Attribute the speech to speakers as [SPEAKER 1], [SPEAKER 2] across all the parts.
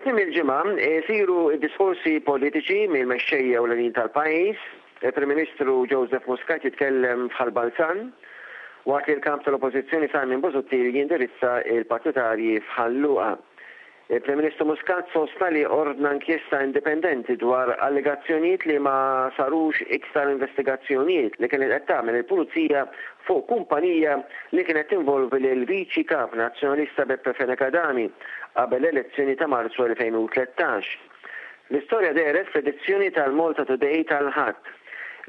[SPEAKER 1] tmiem il-ġimgħa jsiru d-diskorsi politiċi mill-mexxejja ewlenin tal-pajjiż. Il-Prim Ministru Joseph Muscat jitkellem f'Ħal Balzan, waqt li l-Kap tal-Oppożizzjoni Simon Busuttil jindirizza l-partitarji f'Ħal Luqa. Il-Prim Ministru Muscat sostna li ordna inkjesta indipendenti dwar allegazzjonijiet li ma sarux iktar investigazzjonijiet li kienet qed tagħmel il-Pulizija fuq kumpanija li kienet tinvolvi lill-Viċi Kap Nazzjonalista Beppe Fenech Adami qabel l-elezzjoni ta' Marzu 2013. L-istorja dehret fl-edizzjoni tal-Malta Today tal-Ħadd,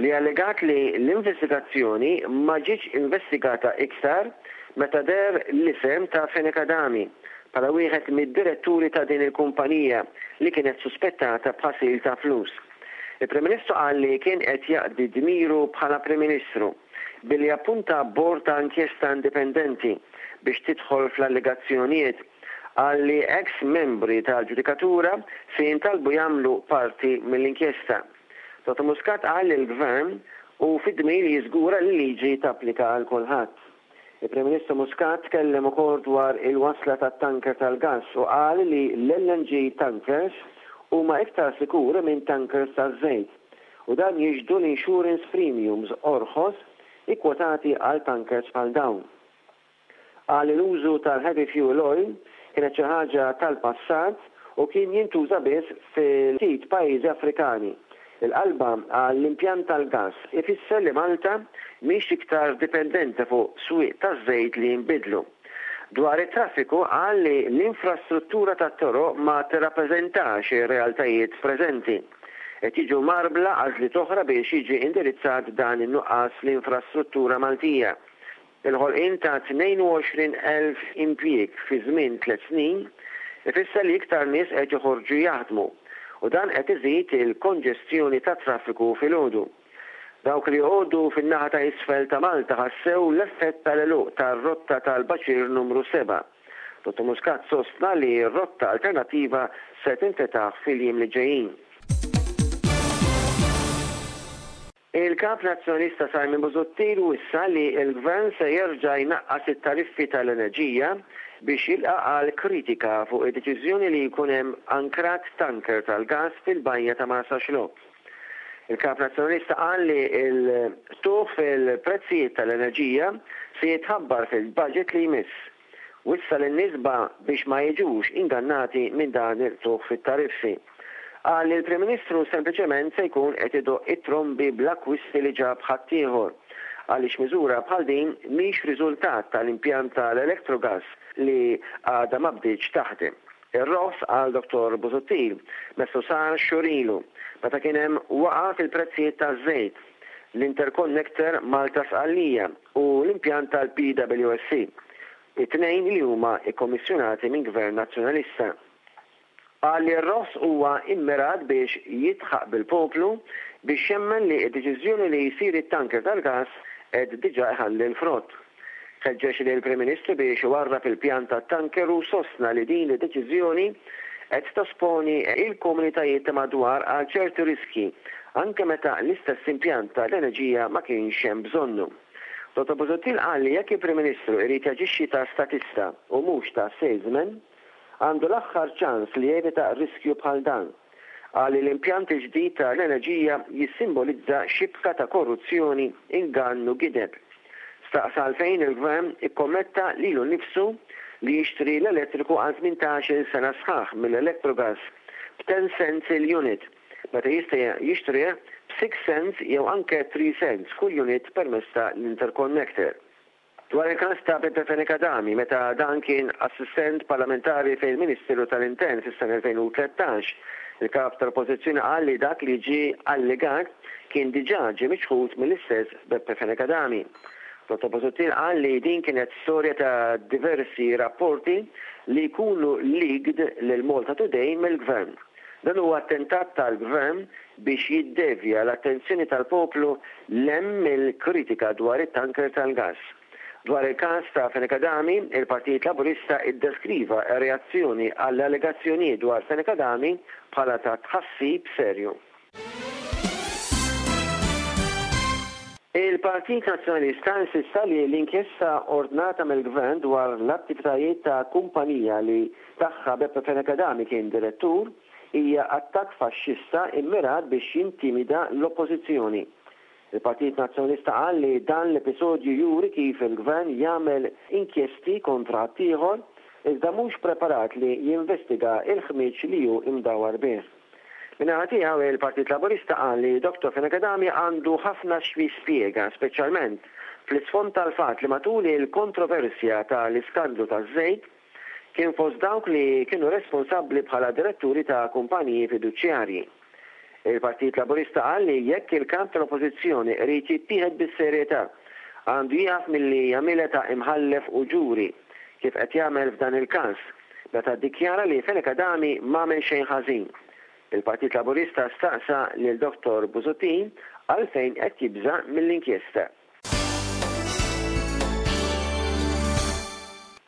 [SPEAKER 1] li allegat li l-investigazzjoni ma ġietx investigata iktar meta deher l-isem ta' Fenech Adami bħala wieħed mid-diretturi ta' din il-kumpanija li kienet suspettata b'ħasil ta' flus. Il-Prim Ministru qal li kien qed jaqdi dmiru bħala Prim Ministru billi appunta bord ta' inkjesta indipendenti biex tidħol fl-allegazzjonijiet. Qal li eks membri tal-ġudikatura se jintalbu jagħmlu parti mill-inkjesta. Dottor Muscat qal li l-Gvern hu fid-dmir li jiżgura li l-liġi tapplika għal kulħadd. Il-Prim Ministru Muscat tkellem ukoll dwar il-wasla tat-tanker tal-gass u qal li l-LNG tankers huma iktar sikuri minn tankers taż-żejt u dan jixhdu l-insurance premiums orħos ikkwotati għal tankers bħal dawn. Qal li l-użu tal-heavy fuel oil kienet xi ħaġa tal-passat u kien jintuża biss fi ftit pajjiżi Afrikani. Il-qalba għall-impjant tal-gass ifisser li Malta mhix iktar dipendenti fuq swieq taż-żejt li jinbidlu. Dwar it-traffiku qal li l-infrastruttura tat-toroq ma tirrappreżentax ir-realtajiet preżenti. Qed jiġu mgħarbla għażliet oħra biex jiġi indirizzat dan in-nuqqas fl-infrastruttura Maltija. Il-ħolqien ta' 22,000 impjieg fi żmien tlett snin ifisser li iktar nies qed joħorġu jaħdmu u dan qed iżid il-konġestjoni tat-traffiku filgħodu. Dawk li joqogħdu fin-naħa ta' isfel ta' Malta ħassew l-effett tal-għeluq tar-rotta tal-Baċir Numru 7. Dottor Muscat sostna li rotta alternattiva se tinfetaħ fil-jiem li ġejjin. Il-Kap Nazzjonalista Simon Busuttil wissa li l-Gvern se jerġa' jnaqqas it-tariffi tal-enerġija biex jilqa' għal kritika fuq id-deċiżjoni li jkun hemm ankrat tanker tal-gass fil-bajja ta' Marsaxlokk. Il-Kap Nazzjonalista qal li l-qtugħ fil-prezzijiet tal-enerġija se jitħabbar fil-budget li jmiss. Wissa lin-nies ba biex ma jiġux ingannati minn dan il-qtugħ fit-tariffi. Qal li l-Prim Ministru sempliċement se jkun qed idoqq it-trombi bl-akkwisti li ġab ħaddieħor għaliex miżura bħal din mhix riżultat tal-impjant tal-Electrogas li għadha ma bdietx taħdem. Ir-roħs, qal Dottor Busuttil, messu sar xhur ilu, meta kien hemm waqgħa fil-prezzijiet taż-żejt, l-interconnector Malta-Sqallija u l-impjant tal-PWSC, it-tnejn li huma kkommissjonati minn Gvern Nazzjonalista. Qal li r-roħs huwa immirat biex jidħaq bil-poplu biex jemmen li d-deċiżjoni li jsir it-tanker tal-gass qed diġà iħalli l-frott. Ħeġġeġ lill-Prim Ministru biex iwarrab il-pjan tat-tanker u sostna li din id-deċiżjoni qed tosponi il-komunitajiet ta' madwar għal ċerti riskji, anke meta l-istess impjant tal-enerġija ma kienx hemm bżonnu. Dottor Busuttil qal li jekk il-Prim Ministru irid jaġixxi ta' statista u mhux ta' salesman, għandu l-aħħar ċans li jevita riskju bħal dan. Qal li l-impjant il-ġdid ta' l-enerġija jissimbolizza xibka ta' korruzzjoni, ingann u gideb. Staqsa għalfejn il-Gvern ikkommetta lilu nnifsu li jixtri l-elettriku għal 18-il sena sħaħ mill-Electrogas b'ten cents il-unit, meta jista' jixtrih b'six cents jew anke three cents kull unit permezz ta' l-interconnector. Dwar il-każ ta' Beppe Fenech Adami, meta dan kien assistent parlamentari fil-Ministeru tal-Intern fis-sena 2013, il-Kap tal-Oppożizzjoni qal li dak li ġie allegat kien diġà ġie miċħud mill-istess Beppe Fenech Adami. Dottor Busuttil qal li din kienet storja ta' diversi rapporti li jkunu leaked lil Malta Today mill-Gvern. Dan huwa attentat tal-Gvern biex jiddevja l-attenzjoni tal-poplu 'l hemm mill-kritika dwar it-tanker tal-gass. Dwar il-każ ta' Fenech Adami, il-Partit Laburista iddeskriva r-reazzjoni għall-allegazzjonijiet dwar Fenech Adami bħala ta' tħassib serju. Il-Partit Nazzjonalista insista li l-inkjesta ordnata mill-Gvern dwar l-attivitajiet ta' kumpanija li tagħha Beppe Fenech Adami kien direttur hija attakk faxxista immirat biex jintimida l-Oppożizzjoni. Il-Partit Nazzjonalista qal li dan l-episodju juri kif il-Gvern jagħmel inkjesti kontra ħaddieħor iżda mhux preparat li jinvestiga l-ħmieġ li hu imdawwar bih. Min-naħa tiegħu, il-Partit Laburista qal li Dottor Fenech Adami għandu ħafna x'jispjega, speċjalment fl-isfond tal-fatt li matul il-kontroversja tal-iskandlu taż-żejt, kien fost dawk li kienu responsabbli bħala diretturi ta' kumpaniji fiduċjarji. Il-Partit Laburista qal li jekk il-Kap tal-Oppożizzjoni qrid jittieħed bis-serjetà, għandu jieqaf milli jagħmilha ta' imħallef u ġuri, kif qed jagħmel f'dan il-każ, meta ddikjara li Fenech Adami m'għamel xejn ħażin. Il-Partit Laburista staqsa lil Dottor Busuttil għalfejn qed jibża' mill-inkjesta.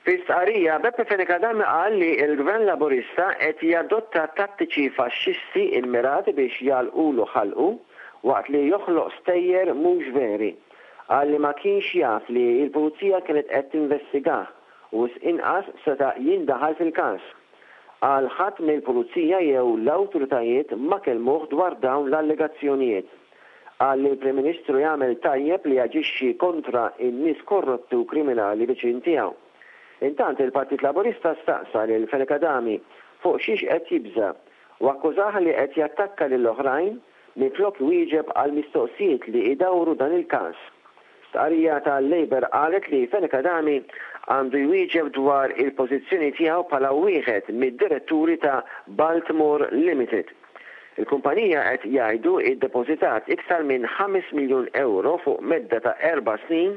[SPEAKER 1] Fi stqarrija, Beppe Fenech Adami qal li l-Gvern Laburista qed jadotta tattiċi faxxisti mmirati biex jagħlqulu ħalqu waqt li joħloq stejjer mhux veri. Qal li ma kienx jaf li l-Pulizija kienet qed tinvestigah u wisq inqas seta' jindaħal fil-każ. Qal ħadd mill-Pulizija jew l-awtoritajiet ma kellmuh dwar dawn l-allegazzjonijiet. Qal li l-Prim Ministru jagħmel tajjeb li jaġixxi kontra n-nies korrotti u kriminali viċin tiegħu. Intant il-Partit Laburista staqsa lil Fenech Adami fuq xiex qed jibża' u akkużah li qed jattakka lil oħrajn minflok iwieġeb għall-mistoqsijiet li idawru dan il-każ. Stqarrija tal-Labour qalet li Fenech Adami għandu jwieġeb dwar il-pożizzjoni tiegħu bħala wieħed mid-diretturi ta' Baltimore Limited. Il-kumpanija qed jgħidu iddepożitat iktar minn ħames miljun ewro fuq medda ta' erba' snin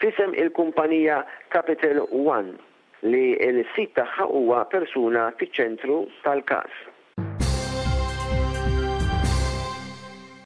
[SPEAKER 1] f'isem il-kumpanija Capital One li l-sid tagħha huwa persuna fiċ-ċentru tal-każ.